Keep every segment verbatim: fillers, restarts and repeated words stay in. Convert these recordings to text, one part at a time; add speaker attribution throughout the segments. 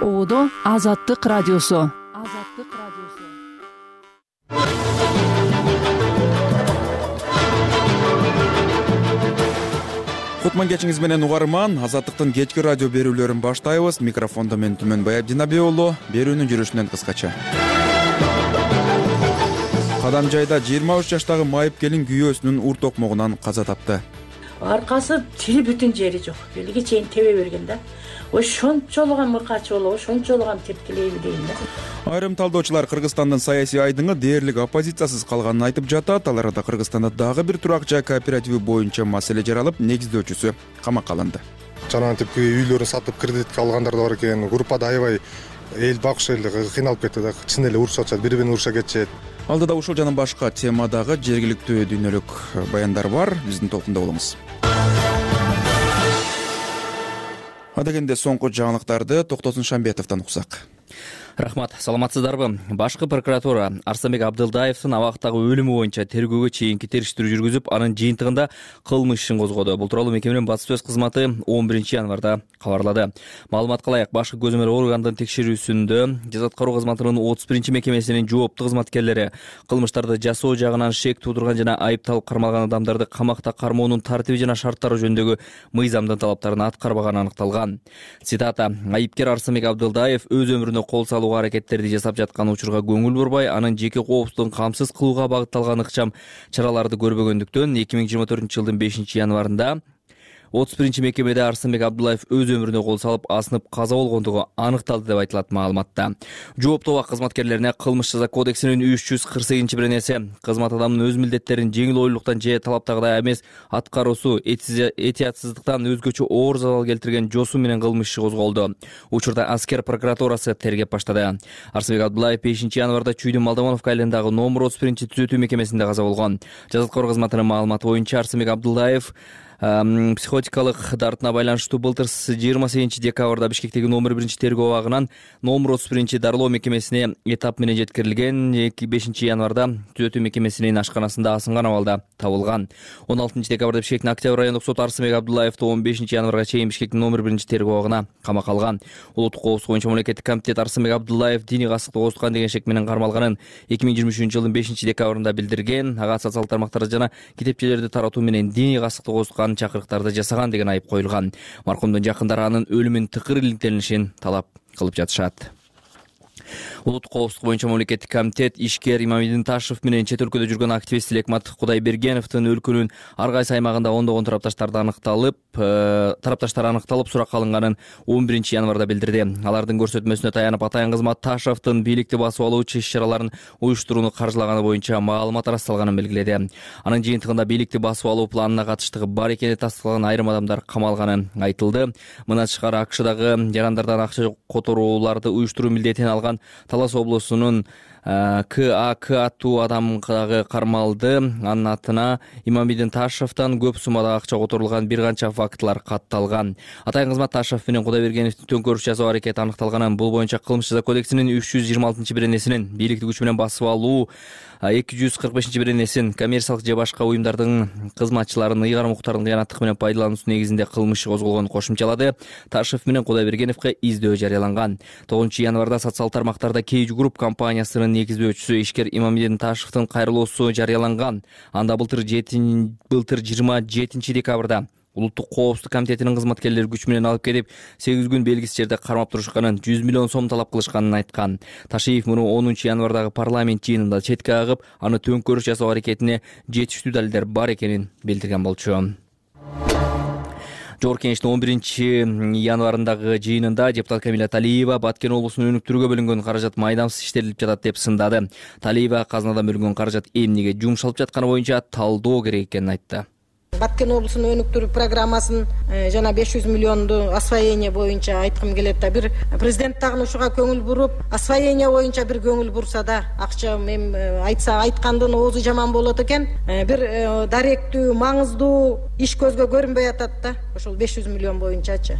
Speaker 1: Оодо Азаттык радиосу. Азаттык радиосу.
Speaker 2: Кутман кечиңиз менен угарман. Азаттыктын кечки радио берүүлөрүн баштайбыз. Микрофондо мен Түмөнбай Абдинабек уулу. Берүүнүн жүрүшүнөн кыскача. Кадамжайда жыйырма үч жаштагы майып келин күйөөсүнүн ур токмогунан каза тапты.
Speaker 3: Аркасы тили бүтүн жери жок. Элге чейин тебе берген да. Ошончолуган мыкач болобу, ошончолуган тепкилейби дейм да.
Speaker 2: Айрым талдоочулар Кыргызстандын саясий айдыңы дээрлик оппозициясыз калганын айтып жатат. Ал арада Кыргызстанда дагы бир турак жай кооперативи боюнча маселе жаралып, негиздөөчүсү камакка алынды.
Speaker 4: Жанагынтип үйлөрүн сатып кредитке алгандар да бар экен. Группада аябай эл багыш эл кыйналып кетти да. Чын эле урушуп атышат, бири-бирин уруша кетишет.
Speaker 2: Алдыда ушул жана башка темадагы жергиликтүү дүйнөлүк баяндар бар. Биздин толкунда болуңуз. Адегенде соңку жаңылыктарды Токтосун Шамбетовдон уксак.
Speaker 5: Рахмат, саламатсыздарбы? Башкы прокуратура Арсанбек Абдылдаевдин абактагы өлүмү боюнча тергөөгө чейинки териштирүү жүргүзүп, анын жыйынтыгында кылмыш ишин козгоду. Бул тууралуу мекеменин басып сөз кызматы он биринчи январда кабарлады. Маалыматка ылайык, башкы көзөмөл органдын текшерүүсүндө жаза аткаруу кызматынын отуз биринчи мекемесинин жооптуу кызматкерлери кылмыштарды жасоо жагынан шек туудурган жана айыпталып кармалган адамдарды камакта кармоонун тартиби жана шарттары жөнүндөгү мыйзамдын талаптарын аткарбаганы аныкталган. Цитата: айыпкер Арсанбек Абдылдаев өз өмүрүнө кол салуу аракеттерди жасап жаткан учурга көңүл бурбай, анын жеке коопсуздугун камсыз кылууга багытталган ыкчам чараларды көрбөгөндүктөн эки миң жыйырма төртүнчү жылдын бешинчи январында отуз биринчи мекемеде Арсанбек Абдылдаев өз өмүрүнө кол салып, асынып каза болгондугу аныкталды деп айтылат маалыматта. Жооптуу абак кызматкерлерине Кылмыш жаза кодексинин үч жүз кырк сегизинчи беренеси кызмат адамынын өз милдеттерин жеңил ойлуулуктан же талаптагыдай эмес аткаруусу этиятсыздыктан өзгөчө оор залал келтирген жосу менен кылмыш иши козголду. Учурда аскер прокуратурасы тергеп баштады. Арсанбек Абдылдаев бешинчи январда Чүйдүн Малдамановка айылындагы номер отуз биринчи түзөтүү мекемесинде каза болгон. Жаза аткаруу кызматынын маалыматы боюнча Арсанбек Абдылдаев психотикалык дартына байланыштуу былтыр жыйырма сегизинчи декабрда Бишкектеги номер биринчи тергөө абагынан номер отуз биринчи дарылоо мекемесине этап менен жеткирилген. бешинчи январда түзөтүү мекемесинин ашканасында асынган абалда табылган. он алтынчы декабрда Бишкектин Октябрь райондук соту Арсанбек Абдылдаевди он бешинчи январга чейин Бишкектин номер биринчи тергөө абагына камакка алган. Улуттук коопсуздук боюнча мамлекеттик комитет Арсанбек Абдылдаев диний касыкты козуткан деген шек менен кармалганын эки миң жыйырма үчүнчү жылдын бешинчи декабрында билдирген. Ага социалдык тармактарды жана китепчелерди таратуу менен диний касыкты козуткан чакырыктарды жасаган деген айып коюлган. Маркумдун жакындары анын өлүмүн тыкыр иликтелишин талап кылып жатышат. Улуттук коопсуздук боюнча мамлекеттик комитет ишкер Имамидин Ташев менен чет өлкөдө жүргөн активист Лекмат Кудайбергеновдун өлкөнүн ар кайсы аймагында ондогон тарапташтарды аныкталып, тарапташтар аныкталып суракка алынганын он биринчи январда билдирди. Алардын көрсөтмөсүнө таянып Атайын кызмат Ташевдин бийликти басып алуучу иш-чараларын уюштурууну каржылаганы боюнча маалымат ырасталганын белгиледи. Анын жыйынтыгында бийликти басып алуу планына катыштыгы бар экени тастыкталган айрым адамдар камалганы айтылды. Мына тышкары АКШдагы жарандардан акча которууларды уюштуруу милдетин алган Талас облусунун К А К аттуу адам дагы кармалды. Анын атына Имамидин Ташевден көп суммада акча которулган бир канча фактылар катталган. Атайын кызмат Ташев менен Кудайбергеновдун төңкөрүш жасоо аракети аныкталганын, бул боюнча Кылмыш жаза кодексинин үч жүз жыйырма алтынчы беренесинин бийликти күч менен басып алуу, эки жүз кырк бешинчи беренесин коммерциялык же башка уюмдардын кызматчыларын ыйгарым укуктардын кыянаттык менен пайдалануусу негизинде кылмыш козголгонун кошумчалады. Ташев менен Кудайбергеновго издөө жарыяланган. тогузунчу январда социалдык тармактарда Кейж Групп компаниясынын негиздөөчүсү ишкер Имамидин Ташевдин кайрылуусу жарыяланган. Анда былтыр жыйырма жетинчи декабрда Улуттук коопсуздук комитетинин кызматкерлери күч менен алып келип, сегиз күн белгисиз жерде кармап турушканын, жүз миллион сом талап кылышканын айткан. Ташиев муну онунчу январдагы парламент жыйынында четке агып, аны төңкөрүш жасоо аракетине жетиштүү далилдер бар экенин билдирген болчу. Жогорку Кеңештин он биринчи январындагы жыйынында депутат Камила Талиева Баткен облусунун өнүктүрүүгө бөлүнгөн каражат майдамсыз иштетилип жатат деп сындады. Талиева казынадан бөлүнгөн каражат эмнеге жумшалып жатканы боюнча талдоо керек экенин айтты.
Speaker 6: Баткен облусунун өнүктүрүү программасын жана беш жүз миллионду освоение боюнча айткым келет да. Бир президент дагы ушуга көңүл буруп, освоение боюнча бир көңүл бурса да, акча эми айтса айткандын оозу жаман болот экен. Бир даректүү, маңыздуу иш көзгө көрүнбөй атат да. Ошол беш жүз миллион боюнчачы.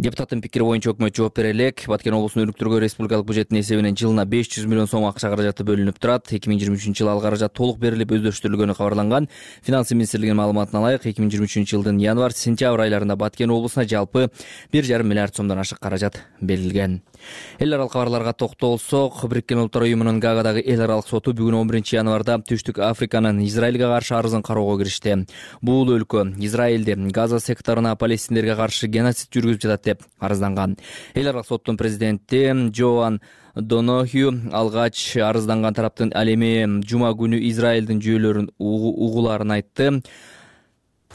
Speaker 5: Депутаттын пикири боюнча өкмөт жооп бере элек. Баткен облусунун өнүктүргөн республикалык бюджетинин эсебинен жылына беш жүз миллион сом акча каражаты бөлүнүп турат. эки миң жыйырма үчүнчү жылы ал каражат толук берилип өздөштүрүлгөнү кабарланган. Финансы министрлигинин маалыматына ылайык, эки миң жыйырма үчүнчү жылдын январь сентябрь айларында Баткен облусуна жалпы бир жарым миллиард сомдон ашык каражат берилген. Эл аралык кабарларга токтолсок, Бириккен Улуттар уюмунун Гаагадагы эл аралык соту бүгүн он биринчи январда Түштүк Африканын Израилге каршы арызын кароого киришти. Бул өлкө Израилде Газа секторуна палестиндерге каршы геноцид жүргүзүп жатат деп арызданган. Эл аралык соттун президенти Джоан Донохью алгач арызданган тараптын ал эми жума күнү Израилдин жүйөлөрүн угуларын айтты.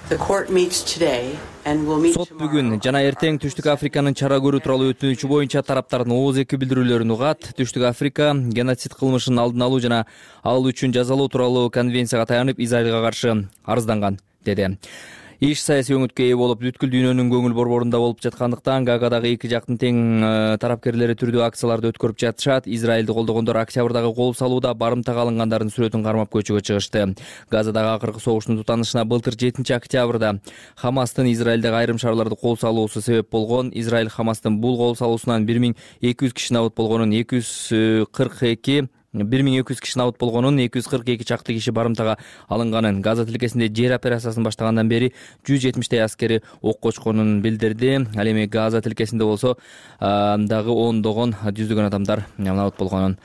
Speaker 5: Сот бүгүн жана эртең Түштүк Африканын чара көрүү тууралуу өтүнүчү боюнча тараптардын ооз эки билдирүүлөрүн угат. Түштүк Африка геноцид кылмышын алдын алуу жана ал үчүн жазалоо тууралуу конвенцияга таянып Израилга каршы арызданган деди. Иш саясий өңүткө ээ болуп, бүткүл дүйнөнүн көңүл борборунда болуп жаткандыктан Гаагадагы эки жактын тең тарапкерлери түрдүү акцияларды өткөрүп жатышат. Израилди колдогондор октябрдагы кол салууда барымтага алынгандардын сүрөтүн кармап көчөгө чыгышты. Газадагы акыркы согуштун тутанышына былтыр жетинчи октябрда Хамастын Израилдеги айрым шаарларды кол салуусу себеп болгон. Израиль Хамастын бул кол салуусунан бир миң эки жүз киши набыт болгонун, эки жүз кырк эки бир миң эки жүз киши набыт болгонун, эки жүз кырк эки чакты киши барымтага алынганын, Газа тилкесинде жер операциясын баштагандан бери жүз жетимиштей аскери ок кочконун билдирди. Ал эми Газа тилкесинде болсо дагы ондогон, жүздөгөн адамдар набыт болгонун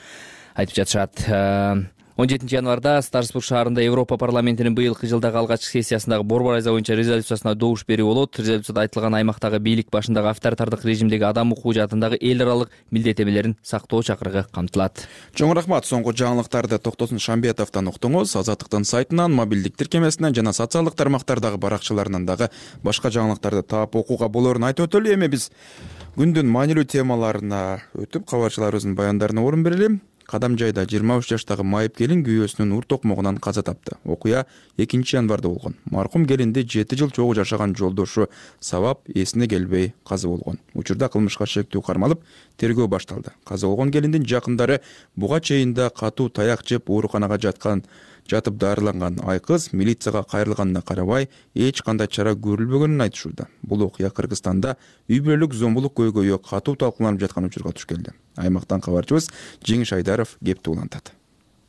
Speaker 5: айтып жатышат. он жетинчи январда Старсбург шаарында Европа парламентинин быйылкы жылдагы алгачкы сессиясындагы борбор айза боюнча резолюциясына добуш берүү болот. Резолюцияда айтылган аймактагы бийлик башындагы авторитардык режимдеги адам укугу жаатындагы эл аралык милдеттемелерин сактоо чакырыгы камтылат.
Speaker 2: Чоң рахмат. Соңку жаңылыктарды Токтосун Шамбетовдон уктуңуз. Азаттыктын сайтынан, мобилдик тиркемесинен жана социалдык тармактардагы баракчаларынан дагы башка жаңылыктарды таап окууга болоорун айтып өтөлү. Эми биз күндүн маанилүү темаларына өтүп, кабарчыларыбыздын баяндарына орун берели. Кадам жайда жыйырма үч жаштагы майып келин күйөөсүнүн ур токмогунан каза тапты. Окуя экинчи январда болгон. Маркум келинди жети жыл чогуу жашаган жолдошу сабап эсине келбей каза болгон. Учурда кылмышка шектүү кармалып, тергөө башталды. Каза болгон келиндин жакындары буга чейин да катуу таяк жеп ооруканага жаткан жатып дарыланган айкыз милицияга кайрылганына карабай эч кандай чара көрүлбөгөнүн айтышууда. Бул окуя Кыргызстанда үй бүлөлүк зомбулук көйгөйү катуу талкууланып жаткан учурга туш келди. Аймактан кабарчыбыз Жеңиш Айдаров кепти улантат.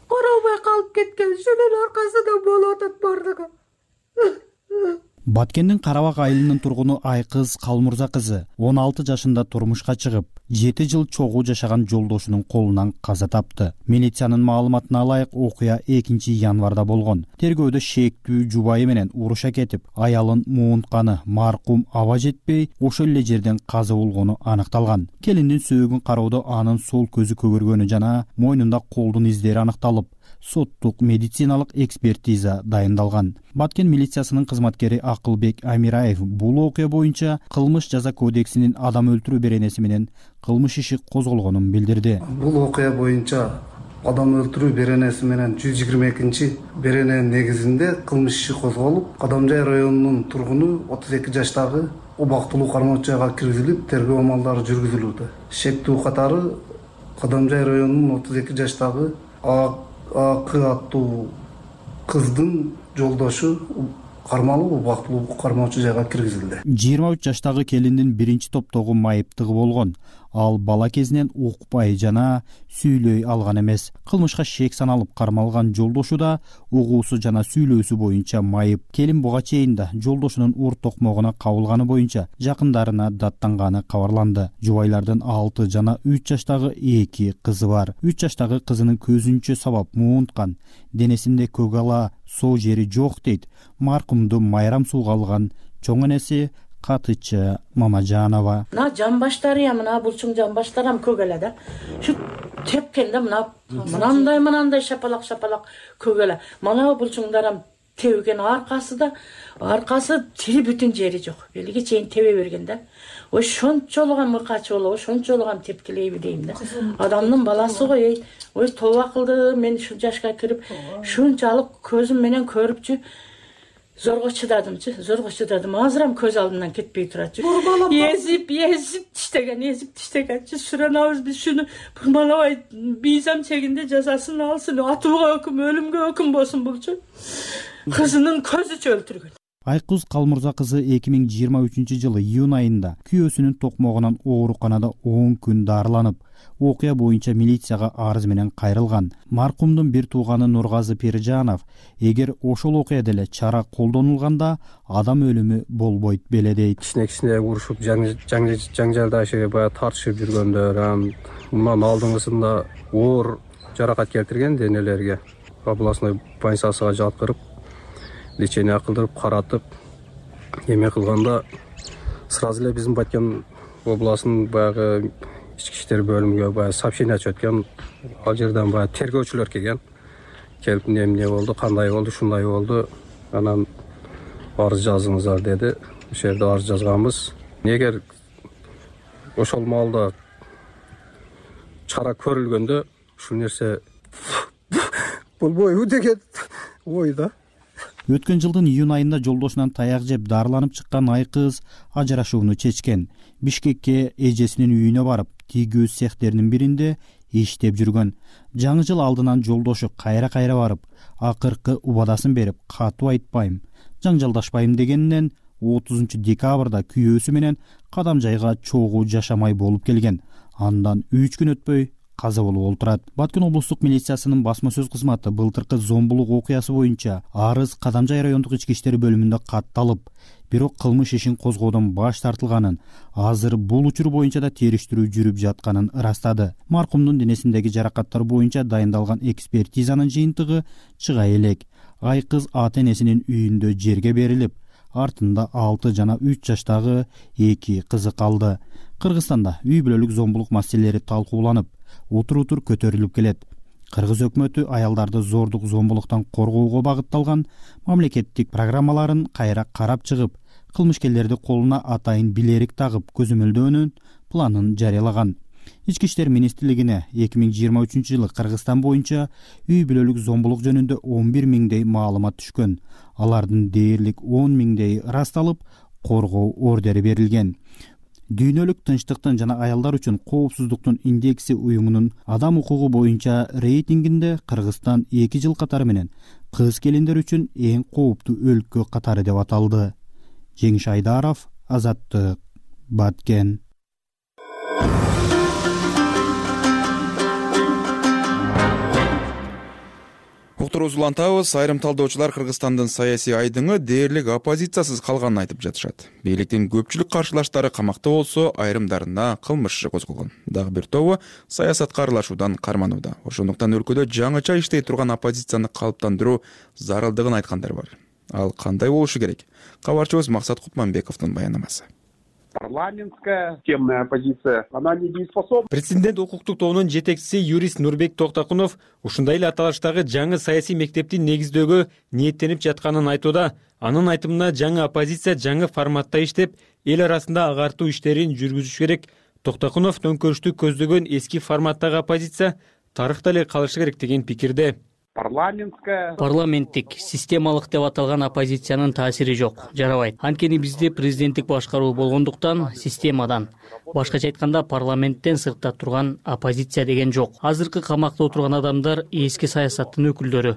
Speaker 7: Карабай калып кеткен шунун аркасында болуп атат бардыгы.
Speaker 8: Баткендин Карабак айылынын тургуну Айкыз Калмурза кызы он алты жашында турмушка чыгып, жети жыл чогуу жашаган жолдошунун колунан каза тапты. Милициянын маалыматына ылайык, окуя экинчи январда болгон. Тергөөдө шектүү жубайы менен уруша кетип, аялын муунтканы маркум аба жетпей, ошол эле жерден каза болгону аныкталган. Келиндин сөөгүн кароодо анын сол көзү көгөргөнү жана мойнунда колдун издери аныкталып, соттук медициналык экспертиза дайындалган. Баткен милициясынын кызматкери Акылбек Амираев бул окуя боюнча кылмыш жаза кодексинин адам өлтүрүү беренеси менен кылмыш иши козголгонун билдирди.
Speaker 9: Бул окуя боюнча адам өлтүрүү беренеси менен жүз жыйырма экинчи берененин негизинде кылмыш иши козголуп, Кадамжай районунун тургуну отуз эки жаштагы убактылуу кармоочуга киргизилип, тергөө амалдары жүргүзүлүүдө. Шектүү катары Кадамжай районунун отуз эки жаштагы Акы аттуу кыздын жолдошу кармалып, убактылуу кармоочу жайга киргизилди.
Speaker 8: жыйырма үч жаштагы келиндин биринчи топтогу майыптыгы болгон. Ал бала кезинен укпай жана сүйлөй алган эмес. Кылмышка шек саналып кармалган жолдошу да угуусу жана сүйлөөсү боюнча майып. Келин буга чейин да жолдошунун ур токмогуна кабылганы боюнча жакындарына даттанганы кабарланды. Жубайлардын алты жана үч жаштагы эки кызы бар. үч жаштагы кызынын көзүнчө сабап муунткан, денесинде көк ала, соо жери жок дейт маркумду майрам сууга алган чоң энеси Катычы Мамажанова.
Speaker 3: Мына жамбаштары мына булчуң жамбаштарам көгөлө да. Шу тепкенде мына мынандай мынандай шапалак шапалак көгөлө. Мына булчуңдарам тебген аркасы да, аркасы тири бүтүн жери жок. Элге чейин тебе берген да. Ой шончолуган мыркачы болобу, шончолуган тепкилейби дейм да. Адамдын баласы го, ey, ой тоба кылды, мен ушул жашка кирип, шунчалык көзүм менен көрүпчү. Зорго чыдадымчы, зорго чыдадым. Азырам көз алдымдан кетпей турачы. Езип, езип тиштеген, езип тиштегенчи. Суранабыз биз шуну бурмалабай бийзам чегинде жазасын алсын, атууга өкүм, өлүмгө өкүм болсун булчу. Кызынын көзүчө өлтүргөн.
Speaker 8: Айкыз Калмурза кызы эки миң жыйырма үчүнчү жылы июнь айында күйөөсүнүн токмогунан ооруканада он күн дарыланып, окуя боюнча милицияга арыз менен кайрылган. Маркумдун бир тууганы Нургазы Пиржанов, эгер ошол окуяда эле чара колдонулганда адам өлүмү болбойт беле дейт.
Speaker 10: Кичине кичине урушуп, жаңжалдашып, баягы тартышып жүргөндөр, мындан алдыңгысында оор жаракат келтирген денелерге областной больницасына жаткырып, лечение кылдырып, каратып, эме кылганда сразу эле биздин Баткен областынын баягы ички иштер бөлүмүгө баягы сообщение чыгып өткөн. Ал жерден баягы тергөөчүлөр келген. Келип эмне болду, кандай болду, шундай болду. Анан арыз жазыңыздар деди. Ошол жерде арыз жазганбыз. Эгер ошол маалда чара көрүлгөндө ушул нерсе болбойбу деген ойда.
Speaker 8: Өткөн жылдын июнь айында жолдошунан таяк жеп дарыланып чыккан Айкыз ажырашууну чечкен. Бишкекке эжесинин үйүнө барып, тийгөө цехтеринин биринде иштеп жүргөн. Жаңы жыл алдынан жолдошу кайра-кайра барып, акыркы убадасын берип, катуу айтпайм, жаңжалдашпайм дегенинен отузунчу декабрда күйөөсү менен кадам жайга чогуу жашамай болуп келген. Андан үч күн өтпөй каза болуп олтурат. Баткен облустук милициясынын басма сөз кызматы былтыркы зомбулук окуясы боюнча арыз Кадамжай райондук ички иштер бөлүмүндө катталып, бирок кылмыш ишин козгоодон баш тартылганын, азыр бул учур боюнча да териштирүү жүрүп жатканын ырастады. Маркумдун денесиндеги жаракаттар боюнча дайындалган экспертизанын жыйынтыгы чыга элек. Айкыз ата-энесинин үйүндө жерге берилип, артында алты жана үч жаштагы эки кызы калды. Кыргызстанда үй бүлөлүк зомбулук маселелери талкууланып, утур-утур көтөрүлүп келет. Кыргыз өкмөтү аялдарды зордук зомбулуктан коргоого багытталган мамлекеттик программаларын кайра карап чыгып, кылмышкерлерди колуна атайын билерик тагып көзөмөлдөөнүн планын жарыялаган. Ички иштер министрлигине эки миң жыйырма үчүнчү жылы Кыргызстан боюнча үй бүлөлүк зомбулук жөнүндө он бир миңдей маалымат түшкөн. Алардын дээрлик он миңдей ырасталып, коргоо ордери берилген. Дүйнөлүк тынчтыктын жана аялдар үчүн коопсуздуктун индекси уюмунун адам укугу боюнча рейтингинде Кыргызстан эки жыл катары менен кыз келиндер үчүн эң кооптуу өлкө катары деп аталды. Жеңиш Айдаров, Азаттык, Баткен.
Speaker 2: Уктуруубузду улантабыз. Айрым талдоочулар Кыргызстандын саясий айдыңы дээрлик оппозициясыз калганын айтып жатышат. Бийликтин көпчүлүк каршылаштары камакта болсо, айрымдарына кылмыш иши козголгон. Дагы бир тобу саясатка аралашуудан карманууда. Ошондуктан өлкөдө жаңыча иштей турган оппозицияны калыптандыруу зарылдыгын айткандар бар. Ал кандай болушу керек? Кабарчыбыз Максат Кутманбековдун баянамасы.
Speaker 11: Парламентская системная оппозиция, она недееспособна.
Speaker 12: Президент укуктук тобунун жетекчиси юрист Нурбек Токтокунов ушундай эле аталыштагы жаңы саясий мектепти негиздөөгө ниеттенип жатканын айтууда. Анын айтымына жаңы оппозиция жаңы форматта иштеп, эл арасында агартуу иштерин жүргүзүш керек. Токтокунов төңкөрүштү көздөгөн эски форматтагы оппозиция тарыхта эле калышы керек деген пикирде.
Speaker 11: Парламентская
Speaker 13: парламенттик системалык деп аталган оппозициянын таасири жок, жарабайт. Анткени бизде президенттик башкаруу болгондуктан системадан, башкача айтканда парламенттен сыртта турган оппозиция деген жок. Азыркы камакта отурган адамдар эски саясаттын өкүлдөрү.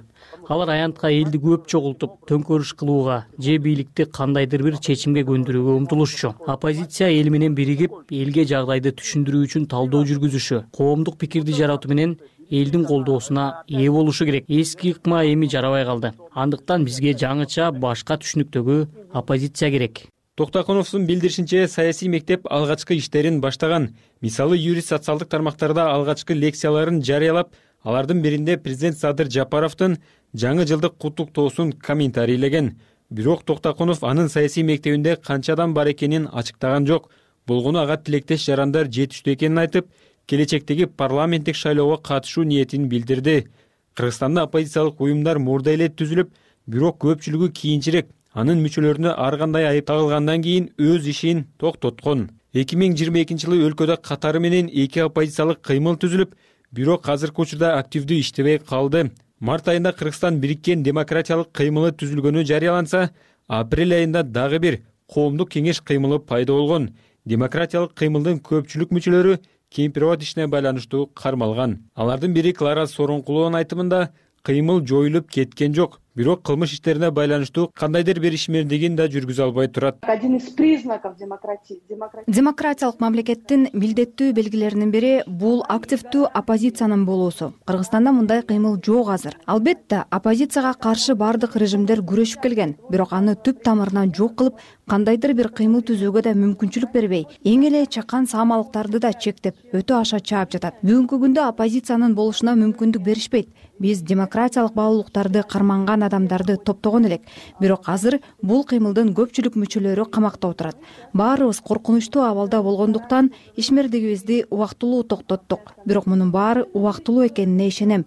Speaker 13: Алар аянтка элди көп чогултуп, төңкөрүш кылууга же бийликти кандайдыр бир чечимге көндүрүүгө умтулушчу. Оппозиция эл менен биригип, элге жагдайды түшүндүрүү үчүн талдоо жүргүзүшү, коомдук пикирди жаратуу менен элдин колдоосуна ээ болушу керек. Эски ыкма эми жарабай калды. Андыктан бизге жаңыча башка түшүнүктөгү оппозиция керек.
Speaker 12: Токтокуновдун билдиришинче, саясий мектеп алгачкы иштерин баштаган. Мисалы, юрист социалдык тармактарда алгачкы лекцияларын жарыялап, алардын биринде президент Садыр Жапаровдун жаңы жылдык куттуктоосун комментарийлеген. Бирок Токтокунов анын саясий мектебинде канча адам бар экенин ачыктаган жок. Болгону ага тилектеш жарандар жетиштүү экенин айтып, келечектеги парламенттик шайлоого катышуу ниетин билдирди. Кыргызстанда оппозициялык уюмдар мурда эле түзүлүп, бирок көпчүлүгү кийинчерээк, анын мүчөлөрүнө ар кандай айып тагылгандан кийин өз ишин токтоткон. эки миң жыйырма экинчи жылы өлкөдө катары менен эки оппозициялык кыймыл түзүлүп, бирок азыркы учурда активдүү иштебей калды. Март айында Кыргызстан бириккен демократиялык кыймылы түзүлгөнү жарыяланса, апрель айында дагы бир коомдук кеңеш кыймылы пайда болгон. Демократиялык кыймылдын көпчүлүк мүчөлөрү кемпирабад ишине байланыштуу кармалган. Алардын бири Клара Сооронкулованын айтымында, кыймыл жоюлуп кеткен жок. бирок кылмыш иштерине байланыштуу кандайдыр бир ишмердигин да жүргүзө албай турат.
Speaker 14: Один из признаков демократии.
Speaker 15: Демократиялык мамлекеттин милдеттүү белгилеринин бири бул активдүү оппозициянын болуусу. Кыргызстанда мындай кыймыл жок азыр. Албетте, оппозицияга каршы бардык режимдер күрөшүп келген, бирок аны түп тамырынан жок кылып, кандайдыр бир кыймыл түзүүгө да мүмкүнчүлүк бербей, эң эле чакан саамалыктарды да чектеп, өтө аша чаап жатат. Бүгүнкү күндө оппозициянын болушуна мүмкүндүк беришпейт. Биз демократиялык баалуулуктарды карманган адамдарды топтогон элек, бирок азыр бул кыймылдын көпчүлүк мүчөлөрү камакта отурат. Баарыбыз коркунучтуу абалда болгондуктан ишмердигибизди убактылуу токтоттук. Бирок мунун баары убактылуу экенине ишенем.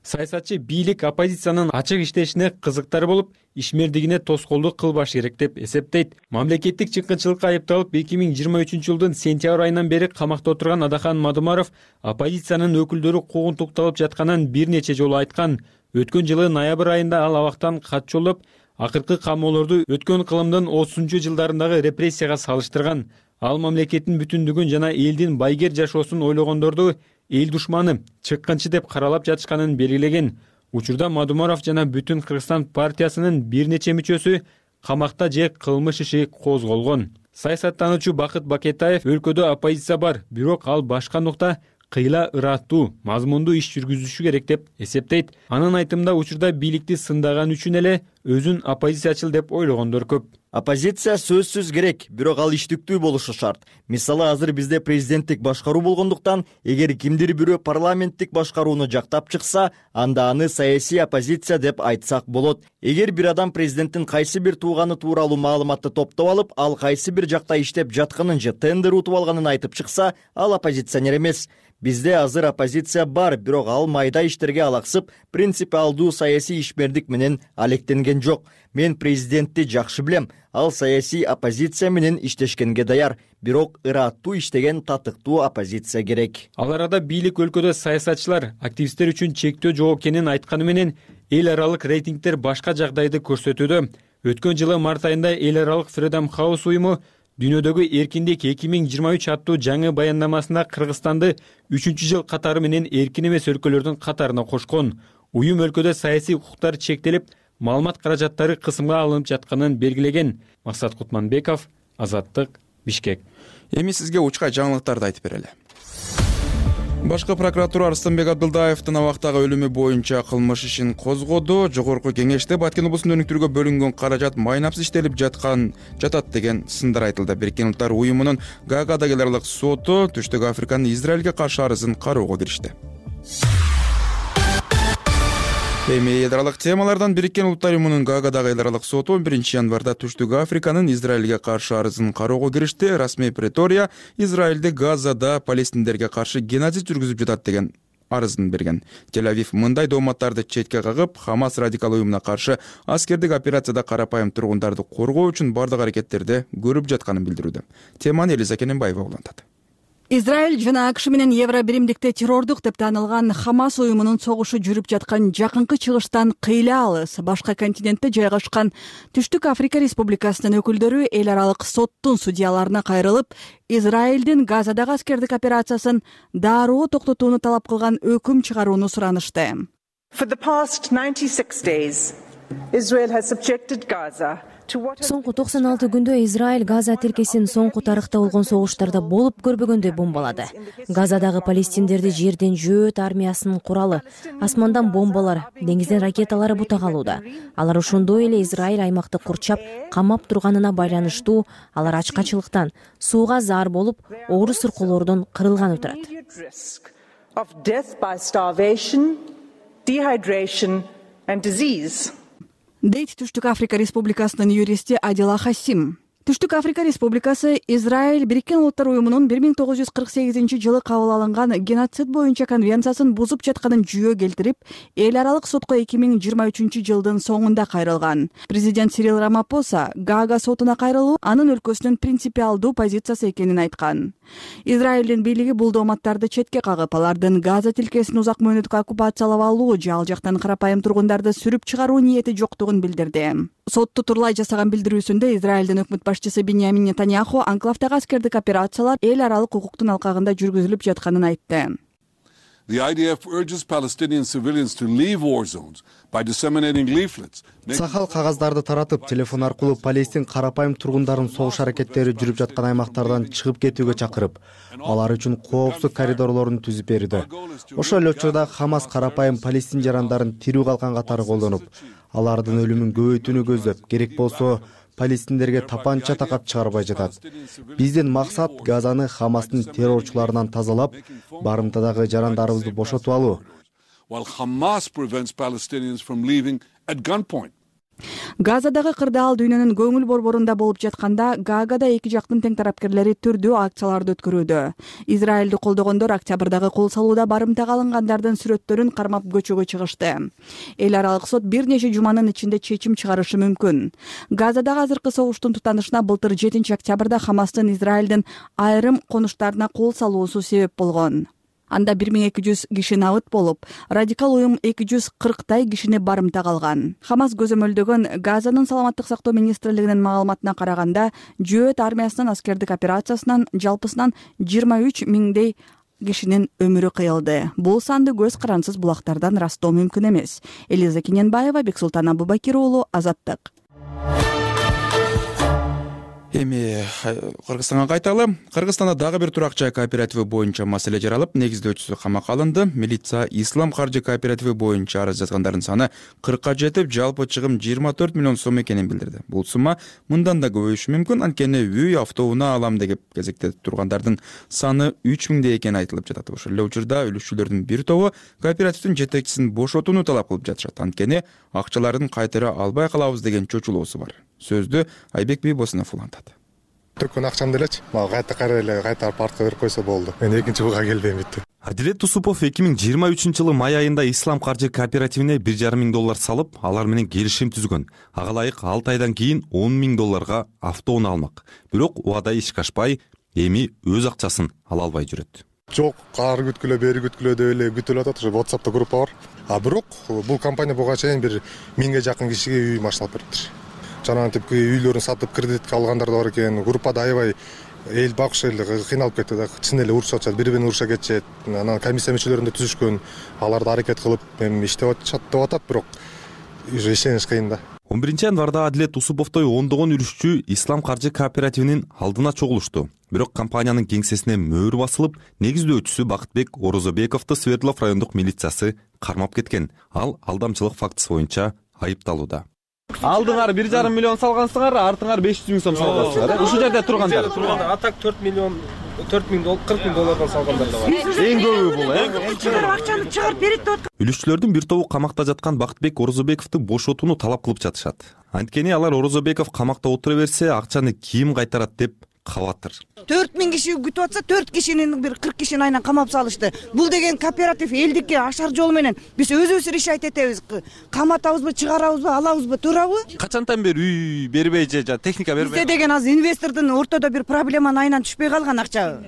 Speaker 12: Саясатчы бийлик оппозициянын ачык иштешине кызыктар болуп, ишмердигине тоскоолдук кылбаш керек деп эсептейт. Мамлекеттик чыккынчылыкка айыпталып эки миң жыйырма үчүнчү жылдын сентябрь айынан бери камакта отурган Адахан Мадумаров оппозициянын өкүлдөрү куугунтукталып жатканын бир нече жолу айткан. Өткөн жылы ноябрь айында ал абактан кат жолдоп, акыркы камоолорду өткөн кылымдын отузунчу жылдарындагы репрессияга салыштырган. Ал мамлекеттин бүтүндүгүн жана элдин байгер жашоосун ойлогондорду эл душманы, чыккынчы деп каралап жатышканын белгилеген. Учурда Мадумаров жана Бүтүн Кыргызстан партиясынын бир нече мүчөсү камакта же кылмыш иши козголгон. Саясаттануучу Бакыт Бакетаев өлкөдө оппозиция бар, бирок ал башка нукта кыйла ыраттуу, мазмундуу иш жүргүзүшү керек деп эсептейт. Анын айтымында учурда бийликти сындаган үчүн эле өзүн оппозициячыл деп ойлогондор көп.
Speaker 16: Оппозиция сөзсүз керек, бирок ал иштиктүү болушу шарт. Мисалы, азыр бизде президенттик башкаруу болгондуктан, эгер кимдир бирөө парламенттик башкарууну жактап чыкса, анда аны саясий оппозиция деп айтсак болот. Эгер бир адам президенттин кайсы бир тууганы тууралуу маалыматты топтоп алып, ал кайсы бир жакта иштеп жатканын же тендер утуп алганын айтып чыкса, ал оппозиционер эмес. Бизде азыр оппозиция бар, бирок ал майда иштерге алаксып, принципиалдуу саясий ишмердик менен алектенген жок. Мен президентти жакшы билем, ал саясий оппозиция менен иштешкенге даяр, бирок ыраттуу иштеген татыктуу оппозиция керек.
Speaker 12: Ал арада бийлик өлкөдө саясатчылар, активисттер үчүн чектөө жок экенин айтканы менен эл аралык рейтингдер башка жагдайды көрсөтүүдө. Өткөн жылы март айында эл аралык Freedom House уюму дүйнөдөгү эркиндик эки миң жыйырма үч аттуу жаңы баяндамасында Кыргызстанды үчүнчү жыл катары менен эркин эмес өлкөлөрдүн катарына кошкон. Уюм өлкөдө саясий укуктар чектелип, маалымат каражаттары кысымга алынып жатканын белгилеген. Максат Кутманбеков, Азаттык, Бишкек.
Speaker 2: Эми сизге учкай жаңылыктарды айтып берели. Башкы прокуратура Арыстанбек Абдылдаевдин абактагы өлүмү боюнча кылмыш ишин козгоду. Жогорку кеңеште Баткен облусун өнүктүрүүгө бөлүнгөн каражат майнапсыз иштелип жаткан жатат деген сындар айтылды. Бириккен Улуттар уюмунун Гаагадагы эл аралык соту Түштүк Африканын Израилге каршы арызын кароого киришти. Эми эл аралык темалардан Бириккен Улуттар уюмунун Гаагадагы эл аралык соту он биринчи январда Түштүк Африканын Израилге каршы арызын кароого киришти. Расмий Претория Израилде Газада палестиндерге каршы геноцид жүргүзүп жатат деген арызын берген. Тель-Авив мындай дооматтарды четке кагып, Хамас радикал уюмуна каршы аскердик операцияда карапайым тургундарды коргоо үчүн бардык аракеттерди көрүп жатканын билдирүүдө. Теманы Элиза Кененбаева улантат.
Speaker 17: Израиль жана АКШ менен Евро биримдикте террордук деп таанылган Хамас уюмунун согушу жүрүп жаткан жакынкы чыгыштан кыйла алыс башка континентте жайгашкан Түштүк Африка Республикасынын өкүлдөрү эл аралык соттун судьяларына кайрылып, Израилдин Газадагы аскердик операциясын дароо токтотууну талап кылган өкүм чыгарууну суранышты.
Speaker 18: For the past ninety-six days, Israel has subjected Gaza
Speaker 19: Соңку токсон алты күндө Израиль Газа тилкесин соңку тарыхта болгон согуштарда болуп көрбөгөндөй бомбалады. Газадагы палестиндерди жерден жөөт армиясынын куралы, асмандан бомбалар, деңизден ракеталары бута калууда. Алар ошондой эле Израиль аймакты курчап, камап турганына байланыштуу, алар ачкачылыктан, сууга заар болуп, оору сыркоолордон кырылганы турат.
Speaker 17: Дейт Түштүк Африка Республикасынын юристи Адила Хасим. Түштүк Африка Республикасы Израиль Бириккен Улуттар уюмунун бир миң тогуз жүз кырк сегизинчи жылы кабыл алынган геноцид боюнча конвенциясын бузуп жатканын жүйө келтирип, эл аралык сотко эки миң жыйырма үчүнчү жылдын соңунда кайрылган. Президент Сирил Рамапоса Гаага сотуна кайрылуу анын өлкөсүнүн принципиалдуу позициясы экенин айткан. Израилдин бийлиги бул дооматтарды четке кагып, алардын Газа тилкесин узак мөөнөткө оккупациялап алуу же ал жактан карапайым тургундарды сүрүп чыгаруу ниети жоктугун билдирди. Сотто турлай жасаган билдирүүсүндө Израилдин өкмөт башчысы Биньямин Нетаньяху анклавдагы аскердик операциялар эл аралык укуктун алкагында жүргүзүлүп жатканын айтты.
Speaker 20: The I D F urges Palestinian civilians to leave war zones by disseminating leaflets.
Speaker 21: Сахал кагаздарды таратып, телефон аркылуу Палестин карапайым тургундарын согуш аракеттери жүрүп жаткан аймактардан чыгып кетүүгө чакырып, алар үчүн коопсуз коридорлорун түзүп берди. Ошол эле учурда Хамас карапайым палестин жарандарын тирүү калган катары колдонуп, алардын өлүмүн көбөйтүүнү көздөп, керек болсо палестиндерге тапанча такап чыгарбай жатат. Биздин максат Газаны Хамастын террорчуларынан тазалап, барымтадагы жарандарыбызды бошотуп алуу.
Speaker 20: While Hamas prevents Palestinians from leaving at gunpoint.
Speaker 17: Газадагы кырдаал дүйнөнүн көңүл борборунда болуп жатканда, Гаагада эки жактын тең тарапкерлери түрдүү акцияларды өткөрүүдө. Израилди колдогондор октябрдагы кол салууда барымтага алынгандардын сүрөттөрүн кармап көчөгө чыгышты. Эл аралык сот бир нече жуманын ичинде чечим чыгарышы мүмкүн. Газадагы азыркы согуштун тутанышына былтыр жетинчи октябрда Хамастын Израилдин айрым конуштарына кол салуусу себеп болгон. Анда бир миң эки жүз киши набыт болуп, радикал уюм эки жүз кырктай кишини барымтага алган. Хамас көзөмөлдөгөн Газанын саламаттык сактоо министрлигинин маалыматына караганда, Жөөт армиясынын аскердик операциясынан жалпысынан жыйырма үч миңдей кишинин өмүрү кыйылды. Бул санды көз карансыз булактардан ырастоо мүмкүн эмес. Элиза Кененбаева, Бексултан Абубакир уулу, Азаттык.
Speaker 2: Эми Кыргызстанга кайталы. Кыргызстанда дагы бир турак жай кооперативи боюнча маселе жаралып, негиздөөчүсү камакка алынды. Милиция Ислам каржы кооперативи боюнча арыз жазгандардын саны кыркка жетип, жалпы чыгым жыйырма төрт миллион сом экенин билдирди. Бул сумма мындан да көбөйүшү мүмкүн, анткени үй, автоунаа алам деп кезекте тургандардын саны үч миңдей экени айтылып жатат. Ошол эле учурда үлүшчүлөрдүн бир тобу кооперативдин жетекчисин бошотууну талап кылып жатышат. Анткени акчаларын кайтара албай калабыз деген чочулоосу бар. Сөздү Айбек Бийбосунов улантат.
Speaker 4: Төккөн акчамды элечи, мага кайта кайра эле кайтарып артка берип койсо болду. Мен экинчи буга келбейм бүттү.
Speaker 22: Адилет Усупов эки миң жыйырма үчүнчү жылы май айында Ислам каржы кооперативине бир жарым миң доллар салып, алар менен келишим түзгөн. Ага ылайык алты айдан кийин он миң долларга автоунаа алмак. Бирок убада ишке ашпай, эми өз акчасын ала албай жүрөт.
Speaker 4: Жок, ары күткүлө, бери күткүлө деп эле күтүлүп атат. WhatsApp'та группа бар. А бирок бул компания буга чейин бир миңге жакын кишиге үй машиналап бериптир. Жанагы типки үйлөрүн сатып кредитке алгандар да бар экен. Группада аябай эл багыш эл кыйналып кетти да. Чын эле урушуп атышат, бири-бирин уруша кетишет. Анан комиссия мүчөлөрүндө түзүшкөн, аларды аракет кылып, эми иштеп атышат деп атат, бирок ишениш кыйын да.
Speaker 22: он биринчи январда Адилет Усуповтой ондогон үлүшчү Ислам каржы кооперативинин алдына чогулушту. Бирок компаниянын кеңсесине мөөр басылып, негиздөөчүсү Бакытбек Орозобековду Свердлов райондук милициясы кармап кеткен. Ал алдамчылык фактысы боюнча айыпталууда.
Speaker 23: Алдыңар бир жарым миллион салгансыңар, артыңар беш жүз миң сом салгансыңар. Ушул жерде тургандар.
Speaker 24: Атак төрт миллион, төрт миң доллар, кырк миң доллардан салгандар да бар.
Speaker 23: Эң көбү бул, э?
Speaker 24: Акчаны чыгарып берет деп.
Speaker 22: Үлүшчүлөрдүн бир тобу камакта жаткан Бакытбек Орозобековду бошотууну талап кылып жатышат. Анткени алар Орозобеков камакта отура берсе, акчаны ким кайтарат деп кабатыр.
Speaker 25: төрт миң киши күтүп атса, төрт кишинин бир кырк кишини айынан камап салышты. Бул деген кооператив элдикке ашар жол менен биз өзүбүз решать этебиз. Каматабызбы, чыгарабызбы, алабызбы, туурабы?
Speaker 23: Качантан бери үй бербей же техника бербей?
Speaker 25: Бизде деген азыр инвестордун ортодо бир проблеманын айынан түшпөй калган акча.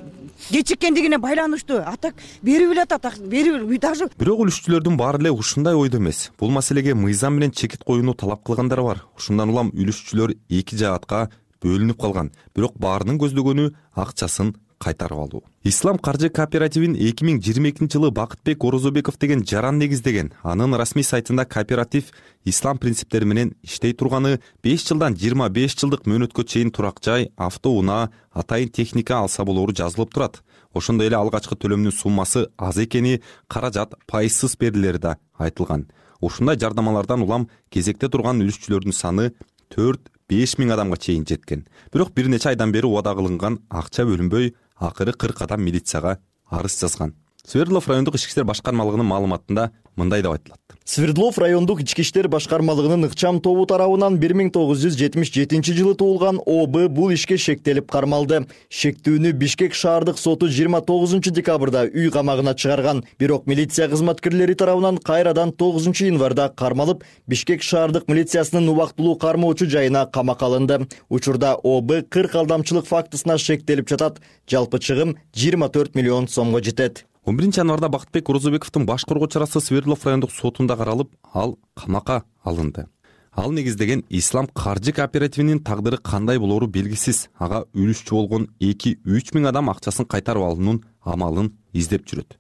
Speaker 25: Кечиккендигине байланыштуу. Атак берип эле атат, берип даже.
Speaker 22: Бирок үлүшчүлөрдүн баары эле ушундай ойдо эмес. Бул маселеге мыйзам менен чекит коюуну талап кылгандар бар. Ушундан улам үлүшчүлөр эки жаатка бөлүнүп калган. Бирок баарынын көздөгөнү акчасын кайтарып алуу. Ислам каржы кооперативин эки миң жыйырма экинчи жылы Бакытбек Орозобеков деген жаран негиздеген. Анын расмий сайтында кооператив ислам принциптери менен иштей турганы, беш жылдан жыйырма беш жылдык мөөнөткө чейин турак жай, автоунаа, атайын техника алса болору жазылып турат. Ошондой эле алгачкы төлөмдүн суммасы аз экени, каражат пайызсыз берилери да айтылган. Ушундай жардамалардан улам кезекте турган үлүшчүлөрдүн саны төрт беш миң адамга чейин жеткен. Бирок бир нече айдан бери убада кылынган акча бөлүнбөй, акыры кырк адам милицияга арыз жазган. Свердлов райондук ички иштер башкармалыгынын маалыматында мындай деп айтылат.
Speaker 16: Свердлов райондук ички иштер башкармалыгынын ыкчам тобу тарабынан бир миң тогуз жүз жетимиш жетинчи жылы туулган О Б бул ишке шектелип кармалды. Шектүүнү Бишкек шаардык соту жыйырма тогузунчу декабрда үй камагына чыгарган. Бирок милиция кызматкерлери тарабынан кайрадан тогузунчу январда кармалып, Бишкек шаардык милициясынын убактылуу кармоочу жайына камакка алынды. Учурда О Б кырк алдамчылык фактысына шектелип жатат. Жалпы чыгым жыйырма төрт миллион сомго жетет.
Speaker 22: он биринчи январда Бакытбек Орозобековдун баш коргоо чарасы Свердлов райондук сотунда каралып, ал камакка алынды. Ал негиздеген Ислам каржы кооперативинин тагдыры кандай болору белгисиз. Ага үлүшчү болгон эки үч миң адам акчасын кайтарып алуунун амалын издеп жүрөт.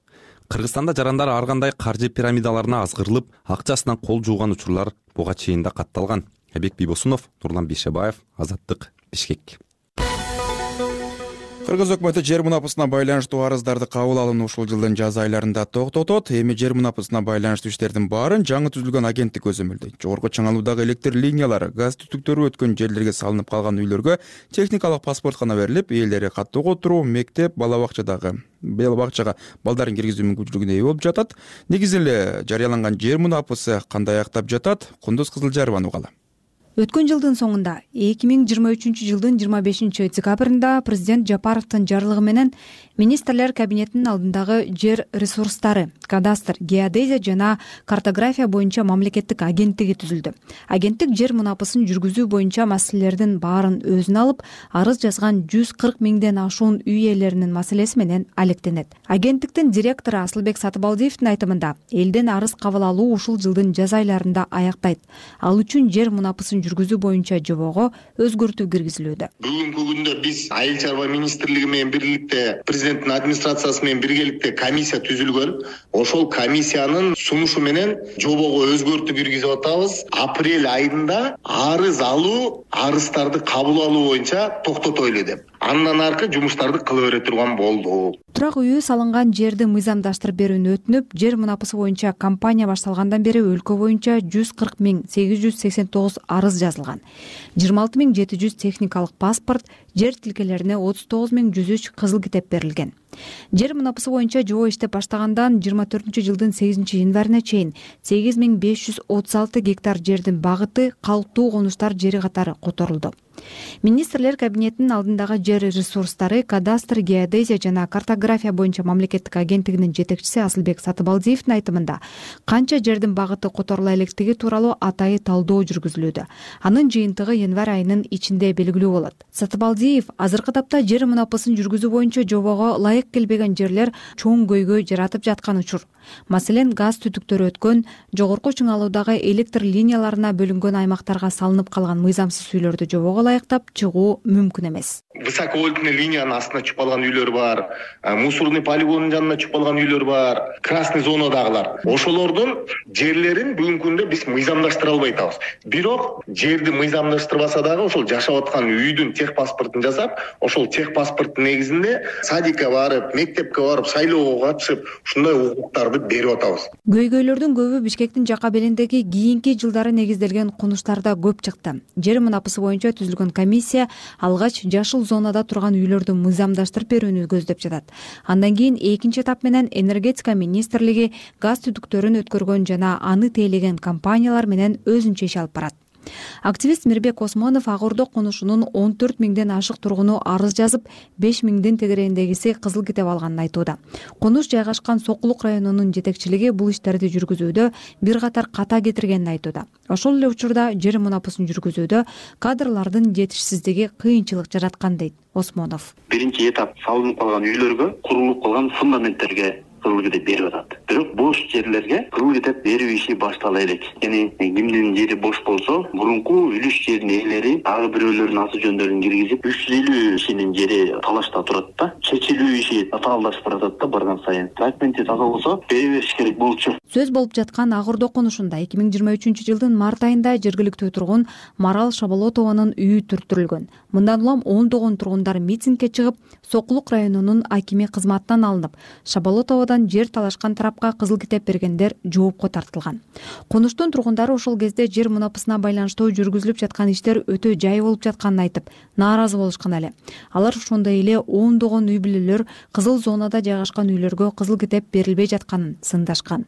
Speaker 22: Кыргызстанда жарандар ар кандай каржы пирамидаларына азгырылып, акчасынан кол жууган учурлар буга чейин да катталган. Эбек Бийбосунов, Нурлан Бейшебаев, Азаттык, Бишкек.
Speaker 2: Кыргыз өкмөтү жер мунапасына байланыштуу арыздарды кабыл алууну ушул жылдын жаз айларында токтотот. Эми жер мунапасына байланыштуу иштердин баарын жаңы түзүлгөн агенттик өзөмөлдөйт. Жогорку чыңалуудагы электр линиялары, газ түтүктөрү өткөн жерлерге салынып калган үйлөргө техникалык паспорт гана берилип, ээлери каттоого отуруу, мектеп, бала бакчадагы бала бакчага балдарын киргизүү мүмкүнчүлүгүнө ээ болуп жатат. Негизи эле жарыяланган жер мунапасы кандай аяктап жатат? Кундуз Кызылжарованын угалы.
Speaker 15: Өткөн жылдын соңунда эки миң жыйырма үчүнчү жылдын жыйырма бешинчи декабрында президент Жапаровдун жарлыгы менен министрлер кабинетинин алдындагы жер ресурстары, кадастр, геодезия жана картография боюнча мамлекеттик агенттиги түзүлдү. Агенттик жер мунапасын жүргүзүү боюнча маселелердин баарын өзүнө алып, арыз жазган жүз кырк миңден ашуун үй ээлеринин маселеси менен алектенет. Агенттиктин директору Асылбек Сатыбалдиевдин айтымында, элден арыз кабыл алуу ушул жылдын жаз айларында аяктайт. Ал үчүн жер мунапасын жүргүзүү боюнча жобого өзгөртүү киргизилүүдө.
Speaker 1: Бүгүнкү күндө биз Айыл чарба министрлиги менен бирликте президенттин администрациясы менен биргеликте комиссия түзүлгөн. Ошол комиссиянын сунушу менен жобого өзгөртүү киргизип атабыз. Апрель айында арыз алуу, арыздарды кабыл алуу боюнча токтотойлу деп. Андан аркы жумуштарды кыла бере турган болду.
Speaker 15: Турак үйү салынган жерди мыйзамдаштырып берүүнү өтүнүп, жер мунапасы боюнча кампания башталгандан бери өлкө боюнча жүз кырк миң сегиз жүз сексен тогуз арыз жазылган. жыйырма алты миң жети жүз техникалык паспорт, жер тилкелерине отуз тогуз миң жүз үч кызыл китеп берилген. Жер мунапасы боюнча жобо иштеп баштагандан жыйырма төртүнчү жылдын сегизинчи январына чейин сегиз миң беш жүз отуз алты гектар жердин багыты калктуу конуштар жери катары которулду. Министрлер кабинетинин алдындагы жер ресурстары, кадастр, геодезия жана картография боюнча мамлекеттик агенттигинин жетекчиси Асылбек Сатыбалдиевдин айтымында, канча жердин багыты которула электиги тууралуу атайы талдоо жүргүзүлүүдө. Анын жыйынтыгы январь айынын ичинде белгилүү болот. Сатыбалдиев азыркы тапта жер мунапасын жүргүзүү боюнча жобого ылайык келбеген жерлер чоң көйгөй жаратып жаткан учур. Маселен, газ түтүктөрү өткөн, жогорку чыңалуудагы электр линияларына бөлүнгөн аймактарга салынып калган мыйзамсыз үйлөрдү жобого ылайыктап чыгуу мүмкүн эмес.
Speaker 1: Высоковольтный линиянын астына чүп калган үйлөр бар, мусорный полигондун жанына чүп калган үйлөр бар, красный зонадагылар. Ошолордун жерлерин бүгүнкү күндө биз мыйзамдаштыра албай атабыз. Бирок жерди мыйзамдаштырбаса дагы ошол жашап аткан үйдүн тех паспортун жасап, ошол тех паспорттун негизинде садикке барып, мектепке барып, шайлоого катышып, ушундай укуктарды берип атабыз.
Speaker 15: Көйгөйлөрдүн көбү Бишкектин жака белиндеги кийинки жылдары негизделген конуштарда көп чыкты. Жер мунапасы боюнча түзүлгөн комиссия алгач жашыл зонада турган үйлөрдү мыйзамдаштырып берүүнү көздөп жатат. Андан кийин экинчи этап менен энергетика министрлиги газ түтүктөрүн өткөргөн жана аны тейлеген компаниялар менен өзүнчө иш алып барат. Активист Мирбек Осмонов Ак Ордо конушунун он төрт миңден ашык тургуну арыз жазып, беш миңдин тегерегиндегиси кызыл китеп алганын айтууда. Конуш жайгашкан Сокулук районунун жетекчилиги бул иштерди жүргүзүүдө бир катар ката кетиргенин айтууда. Ошол эле учурда жер мунапасын жүргүзүүдө кадрлардын жетишсиздиги кыйынчылык жараткан дейт Осмонов.
Speaker 5: Биринчи этап салынып калган үйлөргө, курулуп калган фундаменттерге кызыл китеп берип атат. Бирок бош жерлерге кызыл китеп берүү иши баштала элек. Яни кимдин жери бош болсо, мурунку үлүш жердин ээлери дагы бирөөлөрдүн аты жөндөрүн киргизип, үч жүз элүү кишинин жери талашта турат да. Чечилүү иши татаалдашып баратат да барган сайын. Документи таза болсо, бере бериш керек болчу.
Speaker 15: Сөз болуп жаткан Ак Ордо конушунда эки миң жыйырма үчүнчү жылдын март айында жергиликтүү тургун Марал Шаболотованын үйү түртүрүлгөн. Мындан улам ондогон тургундар митингге чыгып, Сокулук районунун акими кызматтан алынып, Шаболотовадан жер талашкан тарапка кызыл китеп бергендер жоопко тартылган. Конуштун тургундары ошол кезде жер мунапасына байланыштуу жүргүзүлүп жаткан иштер өтө жай болуп жатканын айтып, нааразы болушкан эле. Алар ошондой эле ондогон үй бүлөлөр кызыл зонада жайгашкан үйлөргө кызыл китеп берилбей жатканын сындашкан.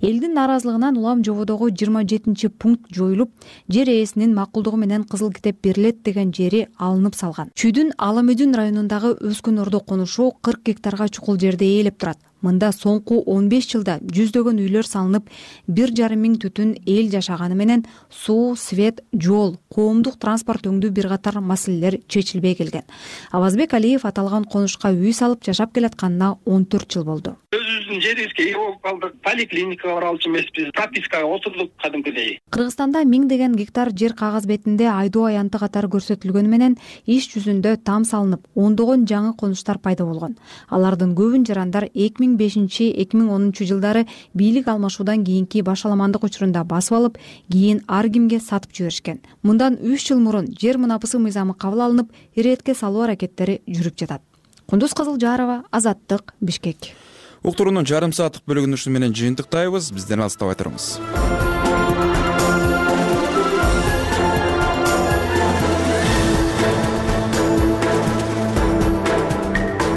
Speaker 15: Элдин нааразылыгынан улам жободогу жыйырма жетинчи пункт жоюлуп, жер ээсинин макулдугу менен кызыл китеп берилет деген жери алынып салган. Чүйдүн Аламөдүн районундагы Өскөн Ордо конушу кырк гектарга чукул жерде ээлеп турат. Мында соңку он беш жылда жүздөгөн үйлөр салынып, бир жарым миң түтүн эл жашаганы менен суу, свет, жол, коомдук транспорт өңдүү бир катар маселелер чечилбей келген. Авазбек Алиев аталган конушка үй салып жашап келатканына он төрт жыл болду.
Speaker 6: Өзүбүздүн жерибизге ээ болуп калдык. Поликлиника
Speaker 3: клиникага бара алчу эмеспиз, пропискага отурдук кадимкидей.
Speaker 15: Кыргызстанда миңдеген гектар жер кагаз бетинде айдоо аянты катары көрсөтүлгөнү менен иш жүзүндө там салынып, ондогон жаңы конуштар пайда болгон. Алардын көбүн жарандар эки миң бешинчи эки миң онунчу жылдары бийлик алмашуудан кийинки башаламандык учурунда басып алып, кийин ар кимге сатып жиберишкен. Мындан үч жыл мурун жер мунапысы мыйзамы кабыл алынып, иретке салуу аракеттери жүрүп жатат. Кундуз Кызылжарова, Азаттык, Бишкек.
Speaker 2: Уктуруунун жарым сааттык бөлүгүн ушуну менен жыйынтыктайбыз. Бизден алыстабай туруңуз.